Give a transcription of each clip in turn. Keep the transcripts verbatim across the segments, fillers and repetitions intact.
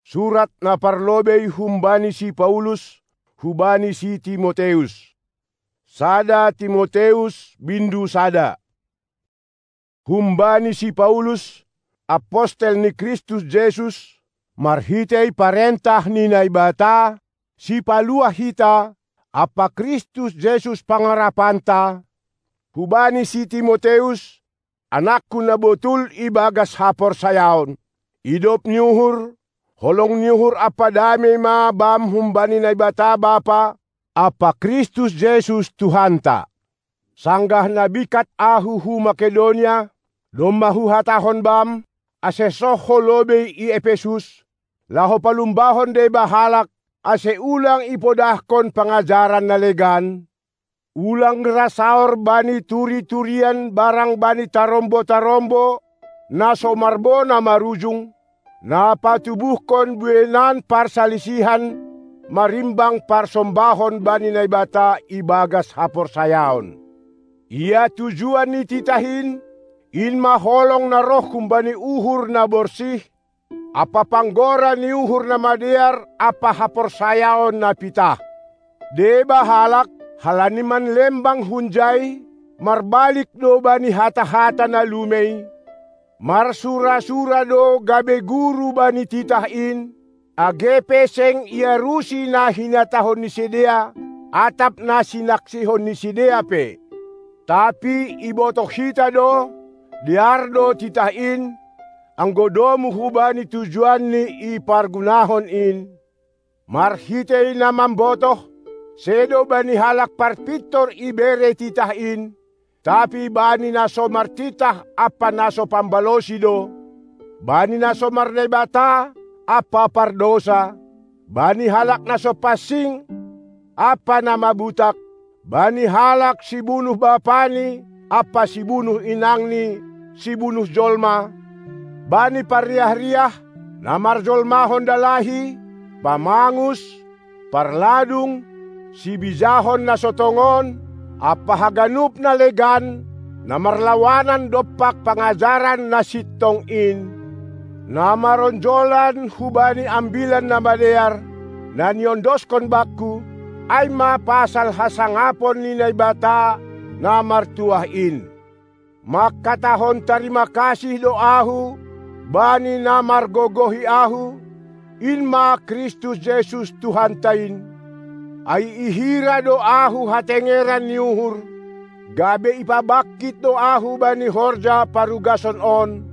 Surat na parlobei humbani si Paulus hubani si Timoteus. Sada Timoteus bindu sada. Humbani si Paulus, apostel ni Kristus Jesus, marhitei parentah ni Naibata, Sipaluah hita, ampa Kristus Jesus pangarapanta, hubani si Timoteus, anakku na botul ibagas haporsayaon. Idop ni uhur, holong ni uhur ampa damei ma bam humbani Naibata Bapa ampa Kristus Jesus Tuhanta. Sanggah na bingkat ahu hu Makedonia, domma huhatahon bam, ase soh ho lobei i Epesus, laho palumbahon deba halak, ase ulang ipodahkon pangajaran na legan, ulang ra saor bani turi-turian barang bani tarombo-tarombo, na so marbona marujung, na patubuhkon bueinan parsalisihan, marimbang parsombahon bani Naibata ibagas haporsayaon. Ia tujuan ni titah in, in ma holong na roh humbani uhur na borsih, ampa panggora ni uhur na madear ampa haporsayaon na pitah. Deba halak, halani manlembang hunjai, marbalik do bani hata-hata na lumei, marsura-sura do gabe guru bani titah in, age pe seng iarusi na hinatahon ni sidea, atap na sinaksihon ni sidea pe. Tapi ibotoh hita do, dear do titah in, anggo domu hubani tujuan ni ipargunahon in. Marhitei na mambotoh, sedo bani halak parpintor ibere titah in, tapi bani na so martitah ampa na so pambalosi do, bani na so marnaibata ampa pardousa, bani halak na so pansing ampa na mabutak, bani halak sibunuh bapani ampa sibunuh inangni, sibunuh jolma, bani parriah-riah, na marjolmahon dalahi, pamangus, parladung, sibijahon na so tongon, ampa haganup na legan, na marlawanan dompak pangajaran na sintong in, na maronjolan hubani Ambilan Namadear, na niondoskon bakku, ai ma pasal hasangapon ni Naibata na martuah in. Mangkatahon tarima kasih do ahu bani na margogohi ahu, in ma Kristus Jesus Tuhanta in. Ai ihira do ahu hatengeran ni uhur, gabe ipabangkit do ahu bani horja parugason on,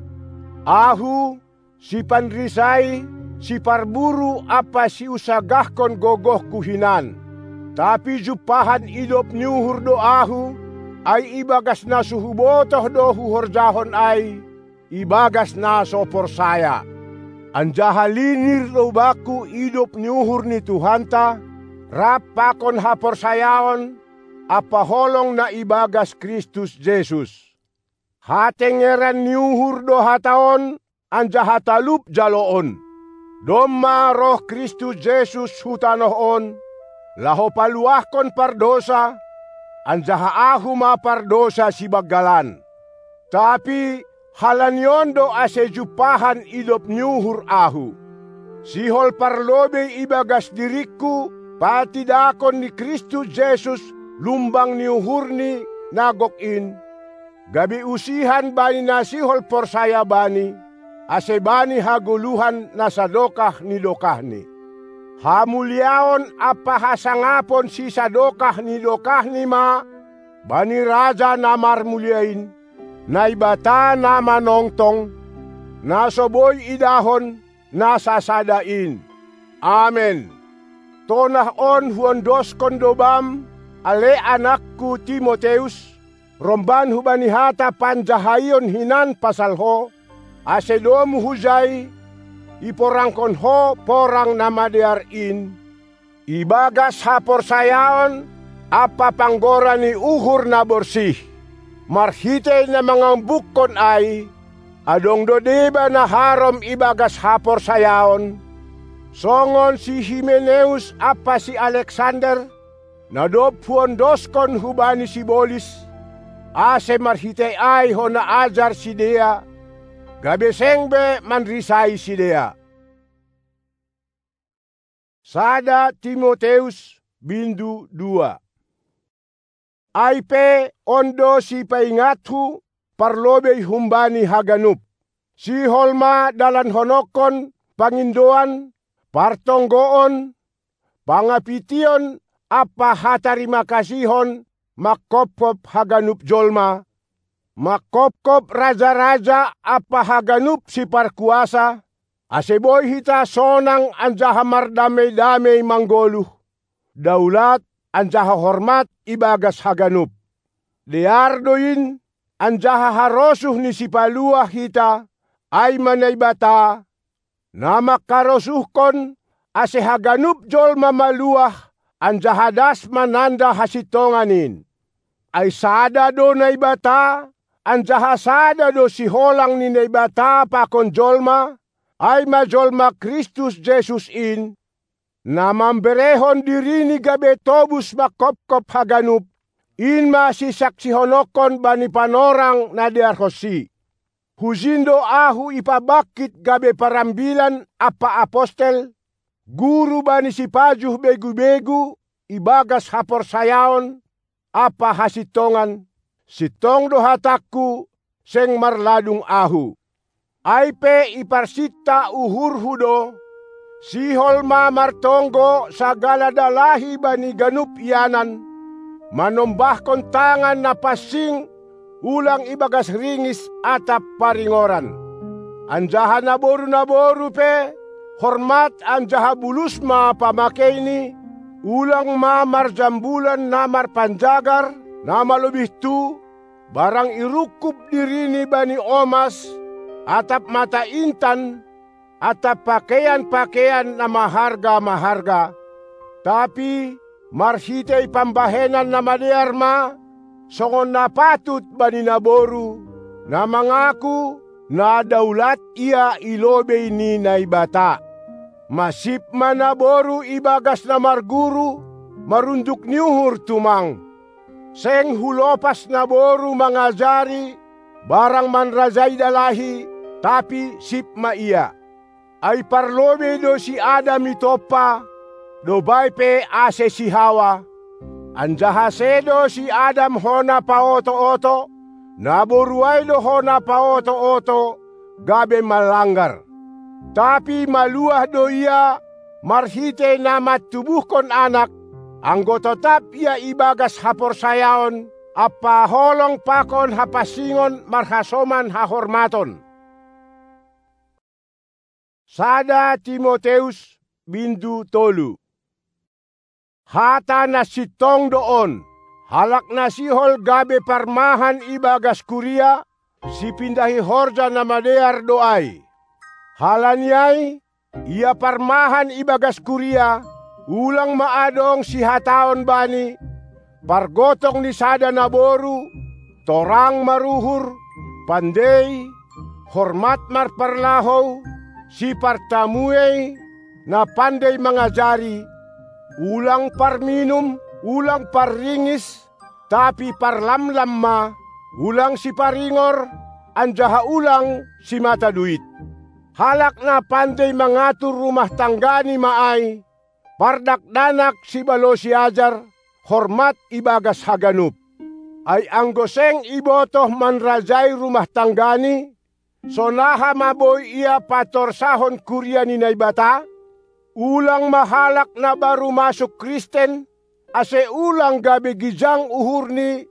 ahu, sipanrisai, siparburu ampa siusagahkon gogohku hinan. Tapi jumpahan idop ni uhur do ahu, ai ibagas na so hubotoh do huhorjahon ai, ibagas na so porsaya. Anjaha linir do bakku idop ni uhur ni Tuhanta, rap pakon haporsayaon ampa holong na ibagas Kristus Jesus. Hatengeran ni uhur do hata on, anjaha talup jaloon. Domma roh Kristus Jesus hu tanoh on, laho paluahkon pardousa, anjaha ahu ma pardousa sibanggalan. Tapi halani on do ase jumpahan idop ni uhur ahu. Sihol parlobei ibagas diringku patindangkon ni Kristus Jesus lumbang ni uhurni na gok in, gabe usihan bani na sihol porsaya Bani, ase bani hagoluhan na sadokah ni dokahni. Hamuliaon ampa hasangapon sisadokah ni dokahni ma bani Raja na marmulia in, Naibata na manongtong, na so boi idahon, na sasada in. Amen. Tonah on huondoskon do bam, ale anakku Timoteus, romban hubani hata panjahaion hinan pasal ho, ase domu hujai, iporangkon ho porang na madear in, ibagas haporsayaon ampa panggora ni uhur na borsih. Marhitei na mangambukkon ai, adong do deba na harom ibagas haporsayaon, songon si Himeneus ampa si Aleksander, na dob huondoskon hubani sibolis, ase marhitei ai hona ajar sidea, gabe seng be manrisai sidea. Sada Timoteus, bindu dua. Ai pe on do sipaingathu parlobei humbani haganup. Sihol ma dalanhononkon pangindoan, partonggoon, pangapition ampa hatarimakasihon mangkopkop haganup jolma, mangkopkop raja-raja ampa haganup siparkuasa, ase boi hita sonang anjaha mardamei-damei manggoluh, daulat anjaha hormat ibagas haganup. Dear do in, anjaha harosuh ni Sipaluah hita, ai ma Naibata, na mangkarosuhkon, ase haganup jolma maluah anjaha das mananda hasintongan in. Ai sada do Naibata, anjaha sada do siholang ni Naibata pakon jolma, ai ma jolma Kristus Jesus in, na mamberehon dirini gabe tobus mangkopkop haganup, in ma sisaksihononkon bani panorang na dearhonsi. Hujin do ahu ipabangkit gabe parambilan ampa apostel, guru bani sipajuh begu-begu ibagas haporsayaon ampa hasintongan, sintong do hatangku, seng marladung ahu. Ai pe iparsinta uhurhu do, sihol ma martonggo sagala dalahi bani ganup ianan, manombahkon tangan na pansing, ulang ibagas ringis atap paringoran. Anjaha naboru-naboru pe, hormat anjaha bulus ma pamakeini, ulang ma marjambulan na marpanjagar, na malobih tu, barang irungkub dirini bani omas, atap mata intan, atap pakeian-pakeian na maharga-maharga, tapi marhitei pambahenan na madear ma, songon na patut bani naboru, na mangaku, na daulat ia i lobei ni Naibata. Masip ma naboru ibagas na marguru, marunduk ni uhur tumang. Seng hulopas naboru mangajari, barang manrajai dalahi, tapi sip ma ia. Ai parlobei do si Adam itompa, dob ai pe ase si Hawa. Anjaha sedo si Adam hona paoto-oto, naboru ai do hona paoto-oto, gabe malanggar. Tapi maluah do ia marhitei na mantubuhkon anak, anggo totap ia ibagas haporsayaon ampa holong pakon hapansingon marhasoman hahormaton. Sada Timoteus, bindu tolu. Hata na sintong do on, halak na sihol gabe parmahan ibagas kuria, sipindahi horja na madear do ai. Halani ai, ia parmahan ibagas kuria, ulang ma adong sihataon bani, pargotong ni sada naboru, torang maruhur, pandei, hormat marparlahou, sipartamuei, na pandei mangajari, ulang parminum, ulang parringis, tapi parlamlam ma, ulang siparingor, anjaha ulang simata duit. Halak na pandei mangatur rumah tanggani ma ai, pardakdanak sibalosi ajar, hormat ibagas haganup. Ai anggo seng ibotoh manrajai rumah tanggani, sonaha ma boi ia patorsahon kuria ni Naibata? Ulang ma halak na baru masuk Kristen, ase ulang gabe gijang uhurni,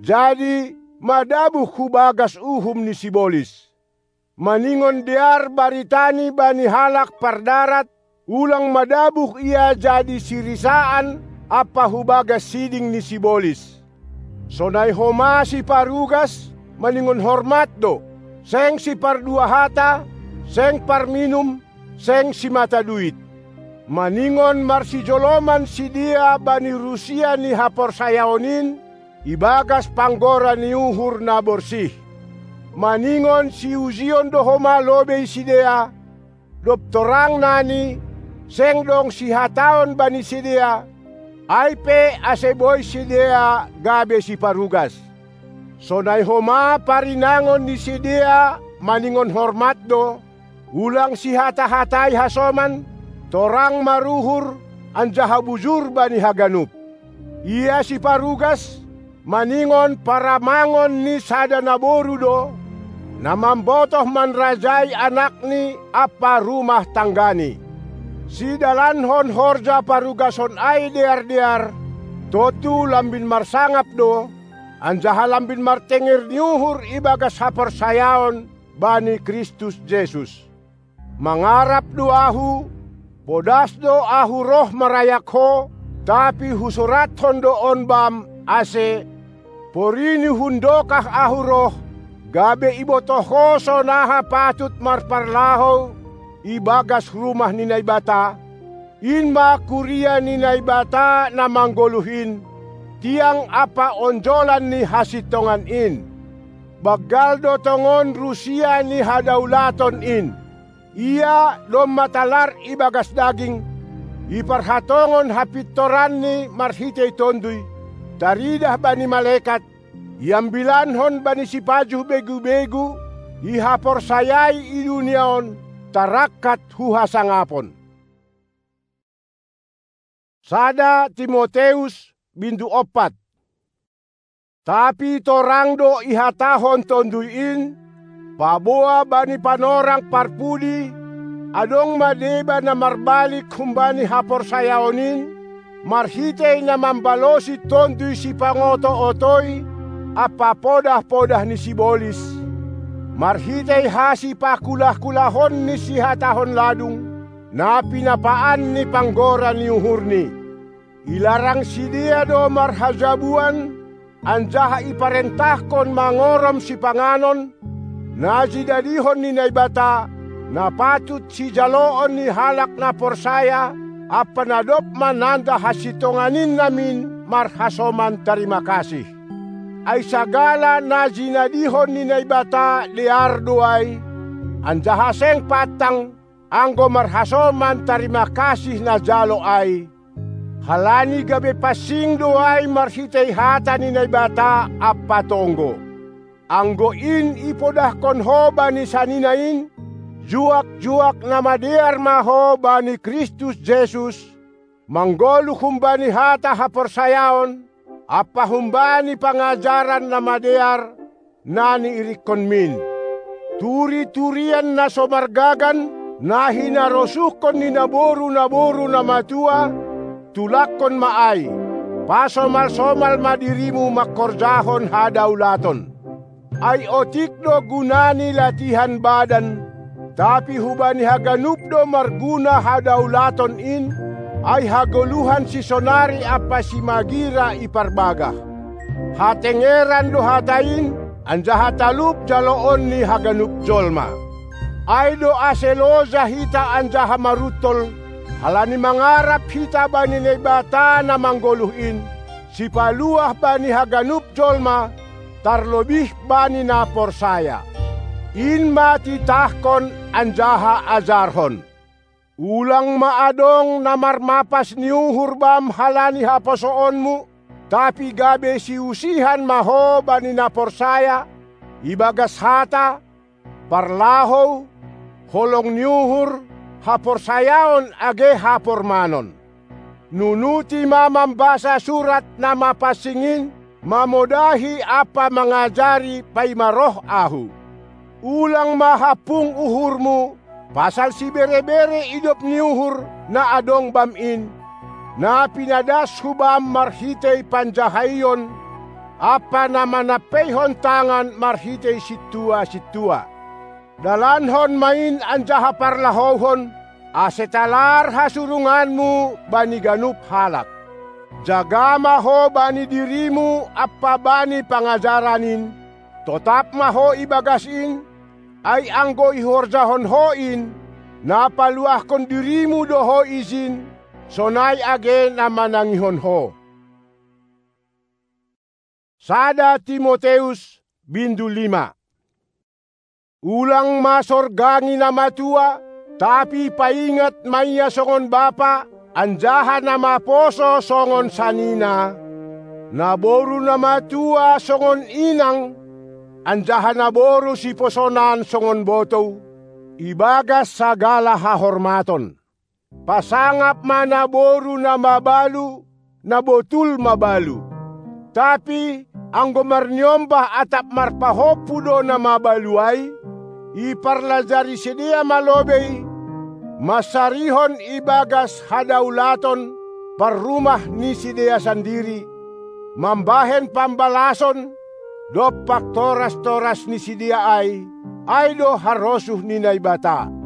jadi madabuh hu bagas uhum ni sibolis. Maningon dear baritani bani halak pardarat, ulang madabuh ia jadi sirisaan ampa hu bagas siding ni sibolis. Sonai homa siparugas, maningon hormat do, seng sipardua hata, seng parminum, seng simata duit. Maningon marsijoloman sidea bani rusia ni haporsayaon in, ibagas panggora ni uhur na borsih. Maningon siujion do homa lobei sidea, dob torang nani, seng dong sihataon bani sidea, ai pe ase boi sidea gabe siparugas. Sonai homa parinangon ni sidea maningon hormat do, ulang sihata-hatai hasoman, torang maruhur anjaha bujur bani haganup. Ia siparugas, maningon paramangon ni sada naboru do, na mambotoh manrajai anakni ampa rumah tanggani. Sidalankon horja parugason ai dear-dear, tontu lambin marsangap do, anjaha lambin martenger ni uhur ibagas haporsayaon bani Kristus Jesus. Mangarap do ahu, podas do ahu roh marayak ho, tapi husurathon do on bam, ase, porini hundokah ahu roh, gabe ibotoh ho sonaha patut marparlahou ibagas rumah ni Naibata, in ma kuria ni Naibata na manggoluh in, tiang ampa onjolan ni hasintongan in. Banggal do tongon rusia ni hadaulaton in. Ia domma talar ibagas daging, iparhatongon hapintoranni marhitei Tonduy, taridah bani malekat, iambilankon bani sipajuh begu-begu, ihaporsayai i dunia on, tarangkat hu hasangapon. Sada Timoteus, bindu ompat. Tapi torang do ihatahon Tonduy in, paboa bani panorang parpudi, adong ma deba na marbalik humbani haporsayaon in, marhitei na mambalosi Tonduy sipangoto-otoi ampa podah-podah ni sibolis, marhitei hasipakulah-kulahon ni sihatahon ladung, na pinapaan ni panggora ni uhurni. Ilarang sidea do marhajabuan, anjaha iparentahkon mangorom sipanganon, na jinadihon ni Naibata, na patut sijaloon ni halak na porsaya, ampa na dob mananda hasintongan in namin marhasoman tarima kasih. Ai sagala na jinadihon ni Naibata dear do ai, anjaha seng pantang, anggo marhasoman tarima kasih na jalo ai, halani gabe pansing do ai marhitei hata ni Naibata ampa tonggo. Anggo in ipodahkon ho bani sanina in, juak-juak na madear ma ho bani Kristus Jesus, manggoluh humbani hata haporsayaon, ampa humbani pangajaran na madear, na niirikkonmin. Turi-turian na so margagan, na hinarosuhkon ni naboru-naboru na matua, tulakkon ma ai, pasomal-somal ma dirimu mangkorjahon hadaulaton. Ai otik do guna ni latihan badan, tapi hubani haganup do marguna hadaulaton in, ai hagoluhan sisonari ampa simagira iparbagah. Hatengeran do hata in, anjaha talup jaloon ni haganup jolma. Ai do ase loja hita anjaha maruntol, halani mangarap hita bani Naibata na manggoluh in, sipaluah bani haganup jolma, tarlobih bani na porsaya. In ma titahkon anjaha ajarhon. Ulang ma adong na marmapas ni uhur bam halani haposoonmu, tapi gabe siusihan ma ho bani na porsaya, ibagas hata, parlahou, holong ni uhur, haporsayaon age hapormanon. Nunuti ma mambasa surat na mapansing in, mamodahi ampa mangajari paima roh ahu. Ulang ma hampung uhurmu, pasal sibere-bere idop ni uhur na adong bam in, na pinadas hu bam marhitei panjahaion, ampa na manampeihon tangan marhitei sintua-sintua. Dalankon ma in anjaha parlahouhon, ase talar hasurunganmu bani ganup halak. Jaga ma ho bani dirimu ampa bani pangajaran in, totap ma ho ibagas in, ai anggo ihorjahon ho in, na paluahkon dirimu do ho ijin, sonai age na manangihon ho. Sada Timoteus, bindu lima. Ulang ma sorgangi na matua, tapi paingat ma ia songon bapa, anjaha na maposo songon sanina, naboru na matua songon inang, anjaha naboru siposonan songon botou, ibagas sagala hahormaton. Pasangap ma naboru na mabalu, na botul mabalu. Tapi anggo marniombah atap marpahompu do na mabalu ai, iparlajari sidea ma lobei, mansarihon ibagas hadaulaton parrumah ni sidea sandiri, mambahen pambalason dompak toras-toras ni sidea ai, ai do harosuh ni Naibata.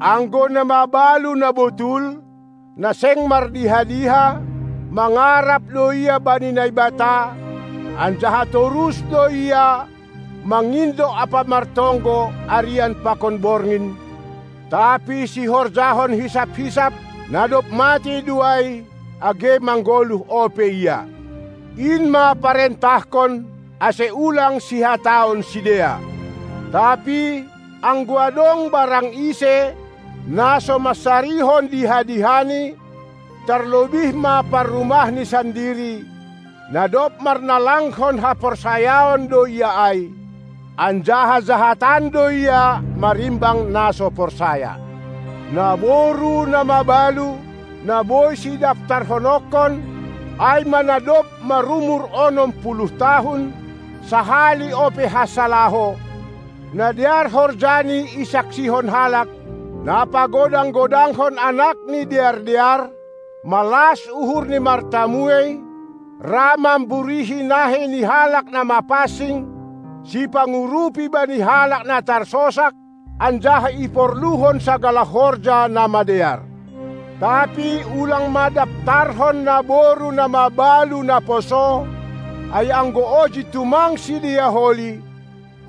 Anggo na mabalu na botul, na seng mardiha-diha, mangarap do ia bani Naibata, anjaha torus do ia mangindo ampa martonggo arian pakon borngin, tapi sihorjahon hisap-hisap, na dob matei do ai, age manggoluh ope ia. In ma parentahkon, ase ulang sihataon sidea. Tapi anggo adong barang ise, na so mansarihon diha-dihani, tarlobih ma parrumahni sandiri, na dob marnalanghon haporsayaon do ia ai, anjaha jahatan do ia marimbang na so porsaya. Naboru na mabalu, na boi sidaftarhononkon, ai ma na dob marumur onom puluh tahun, sahali ope hansalaho, na dear horjani isaksihon halak, na pagodang-godanghon anak ni dear-dear, malas uhur ni martamuei, ra mamburihi nahe ni halak na mapansing, sipangurupi bani halak na tarsosak, anjaha iporluhon sagala horja na madear. Tapi ulang ma daftarhon naboru na mabalu na poso, ai anggo oji tumang sidea holi,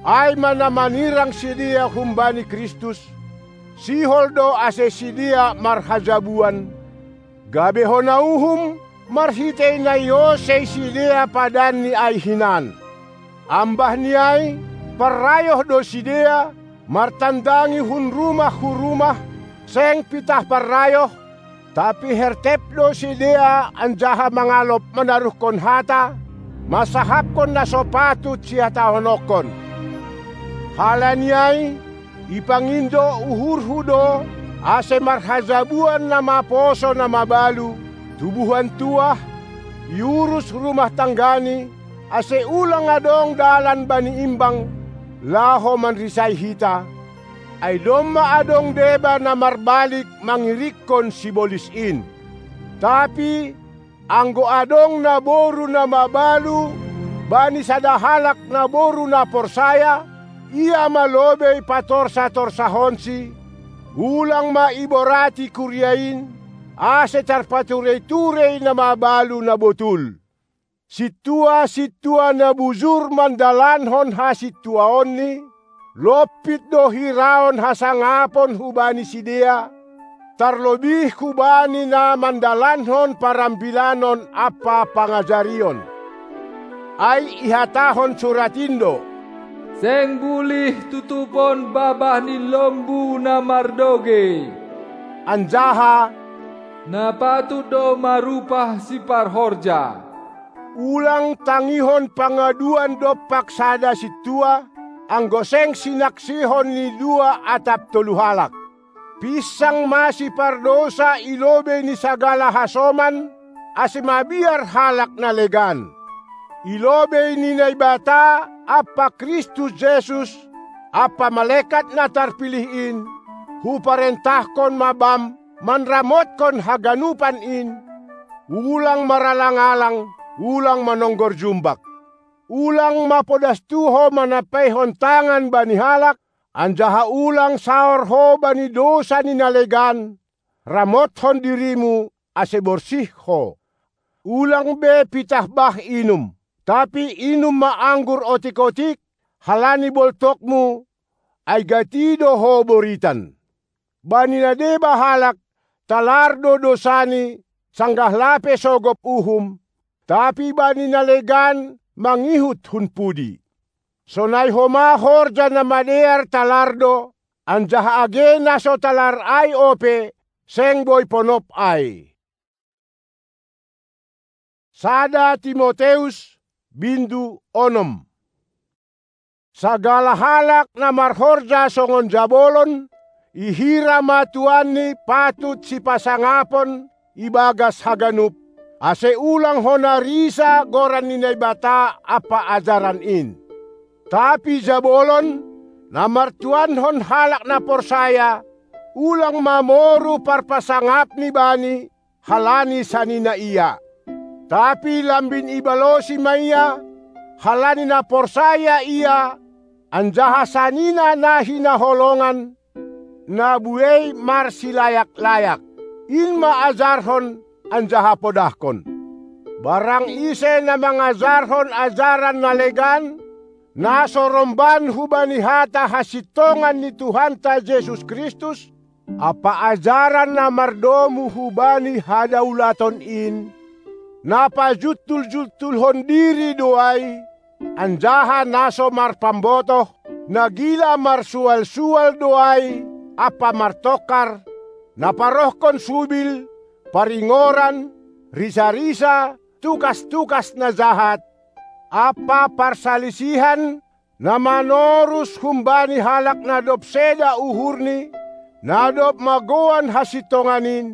ai ma na manirang sidea humbani Kristus, sihol do ase sidea marhajabuan, gabe hona uhum marhitei na iosei sidea padanni ai hinan. Ambah ni ai, parrayoh do sidea, martandangi hun rumah hu rumah, seng pitah parrayoh, tapi hertep do sidea anjaha mangalop manaruhkon hata, mansahapkon na so patut sihatahononkon. Halani ai, ipangindo uhurhu do, ase marhajabuan na maposo na mabalu, tubuhan tuah, iurus rumah tanggani, ase ulang adong dalan bani imbang, laho manrisai hita, ai domma adong deba na marbalik mangirikkon sibolis in. Tapi anggo adong naboru na mabalu bani sada halak naboru na porsaya, ia ma lobei patorsa-torsahonsi, ulang ma iborati kuria in, ase tarpaturei-turei na mabalu na botul. Sintua-sintua na bujur mandalankon hasintuaonni, lompit do hiraon hasangapon hubani sidea, tarlobih hubani na mandalankon parambilanon ampa pangajarion. Ai ihatahon surat in do: Seng bulih tutupon babah ni lombu na mardogei, anjaha na patut do marupah siparhorja. Ulang tangihon pangaduan dompak sada sintua, anggo seng sinaksihon ni dua atap tolu halak. Pinsang ma sipardousa i lobei ni sagala hasoman, ase mabiar halak na legan. I lobei ni Naibata ampa Kristus Jesus, ampa malekat na tarpilih in, huparentahkon ma bam manramotkon haganupan in: Ulang maralang-alang, ulang manonggor jumbak. Ulang ma podas tuho manampaihon tangan bani halak, anjaha ulang saor ho bani dousa ni na legan, ramotkon dirimu, ase borsih ho. Ulang be pitah bah inum, tapi inum ma anggur otik-otik, halani boltokmu, ai gati do ho boritan. Bani na deba halak, talar do dousani, sanggah lape sogop uhum, tapi bani na legan mangihut hun pudi. Sonai homa horja na madear talar do, anjaha age na so talar ai ope, seng boi ponop ai. Sada Timoteus, bindu onom. Sagala halak na marhorja songon jabolon, I hira ma tuanni patut sipasangapon ibagas haganup, ase ulang hona risa goran ni Naibata ampa ajaran in. Tapi jabolon, na martuankon halak na porsaya, ulang ma moru parpasangapni bani, halani sanina ia. Tapi lambin ibalosi ma ia, halani na porsaya ia, anjaha sanina na hinaholongan, na buei marsilayak-layak, in ma ajarhon anjaha podahkon. Barang ise na mangajarhon ajaran na legan, na so romban hubani hata hasintongan ni Tuhanta Jesus Kristus, ampa ajaran na mardomu hubani hadaulaton in, na pajuntul-juntulhon diri do ai, anjaha na so marpambotoh, na gila marsual-sual do ai ampa martongkar, na parohkon subil, paringoran, risa-risa, tukas-tukas na jahat, ampa parsalisihan, na manorus humbani halak na dob seda uhurni, na dob magouan hasintongan in,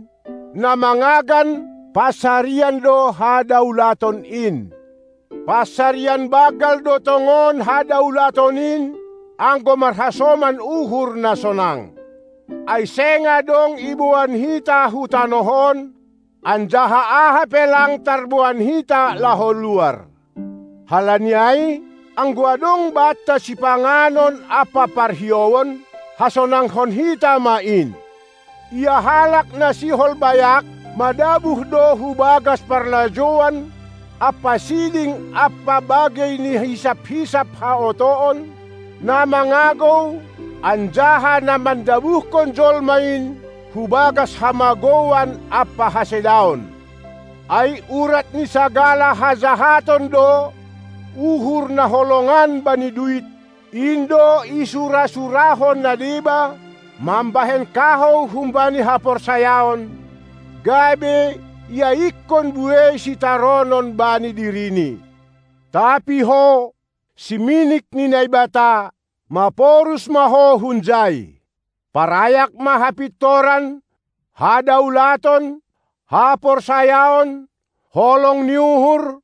na mangagan pansarian do hadaulaton in. Pansarian banggal do tongon hadaulaton in, anggo marhasoman uhur na sonang. Ai seng adong iboan hita hu tanoh on, anjaha aha pe lang tarboan hita laho luar. Halani ai, anggo adong banta sipanganon ampa parhiouon, hasonanghon hita ma in. Ia halak na sihol bayak, madabuh do hu bagas parlajouan ampa siding ampa bagei ni hisap-hisap haotoon, na mangagou, anjaha na mandabuhkon jolma in hu bagas hamagouan ampa hasedaon. Ai urat ni sagala hajahaton do uhur na holongan bani duit, in do isura-surahon na deba mambahen kahou humbani haporsayaon, gabe iaingkon buei sitaronon bani dirini. Tapi ho, siminik ni Naibata, maporus ma ho hunjai. Parayak ma hapintoran, hadaulaton, haporsayaon, holong ni uhur,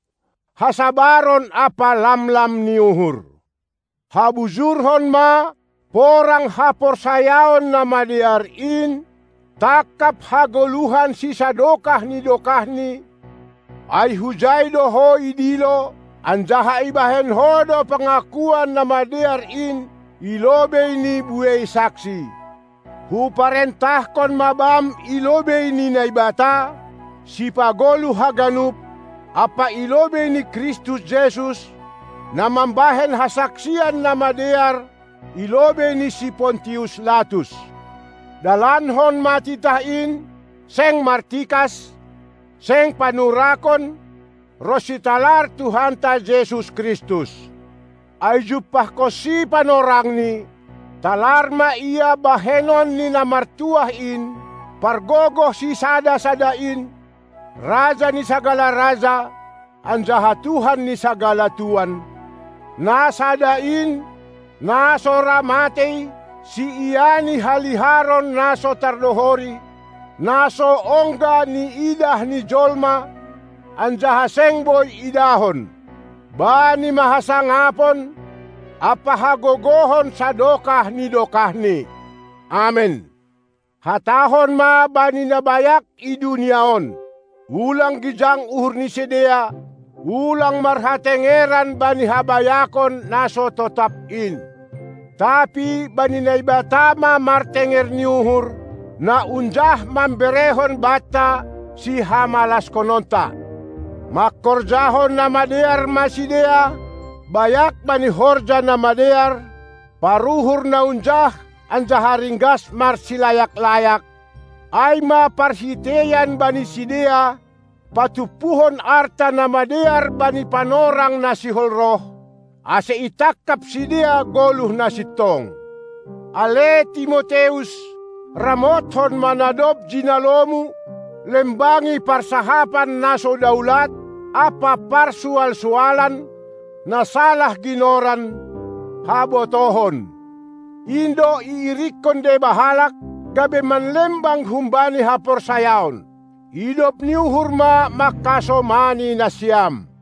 hasabaron ampa lamlam ni uhur. Habujurhon ma porang haporsayaon na madear in, tangkap hagoluhan sisadokah ni dokahni, ai hujai do ho idilo, anjaha ibahen ho do pangakuan na madear in i lobei ni buei saksi. Huparentahkon ma bam i lobei ni Naibata, sipagoluh haganup, ampa i lobei ni Kristus Jesus, na mambahen hasaksian na madear i lobei ni si Pontius Latus. Dalankon ma titah in, seng martikas, seng panurakon, ronsi talar Tuhanta Jesus Kristus. Ai jumpahkonsi panorangni, talar ma ia bahenon ni na martuah in, pargogoh sisada-sada in, Raja ni sagala raja, anjaha Tuhan ni sagala tuan, na sada in, na so ra matei, siiani haliharon na so tardohori, na so ongga niidah ni jolma, anjaha seng boi idahon. Bani ma hasangapon ampa hagogohon sadokah ni dokahni. Amen. Hatahon ma bani na bayak i dunia on: Ulang gijang uhur ni sidea, ulang marhatengeran bani habayakon na so totap in. Tapi bani Naibata ma martenger ni uhur, na unjah mamberehon banta sihamalaskononta. Mangkorjahon na madear ma sidea, bayak bani horja na madear, paruhur na unjah anjaha ringgas marsilayak-layak, ai ma parhiteian bani sidea patumpuhon arta na madear bani panorang na sihol roh, ase itangkap sidea goluh na sintong. Ale Timoteus, ramothon ma na dob jinalomu, lembangi parsahapan na so daulat ampa parsual-sualan, na salah ginoran, habotohon. in do iirikkon deba halak, gabe manlembang humbani haporsayaon. Idop ni uhur ma mangkasomani nasiam.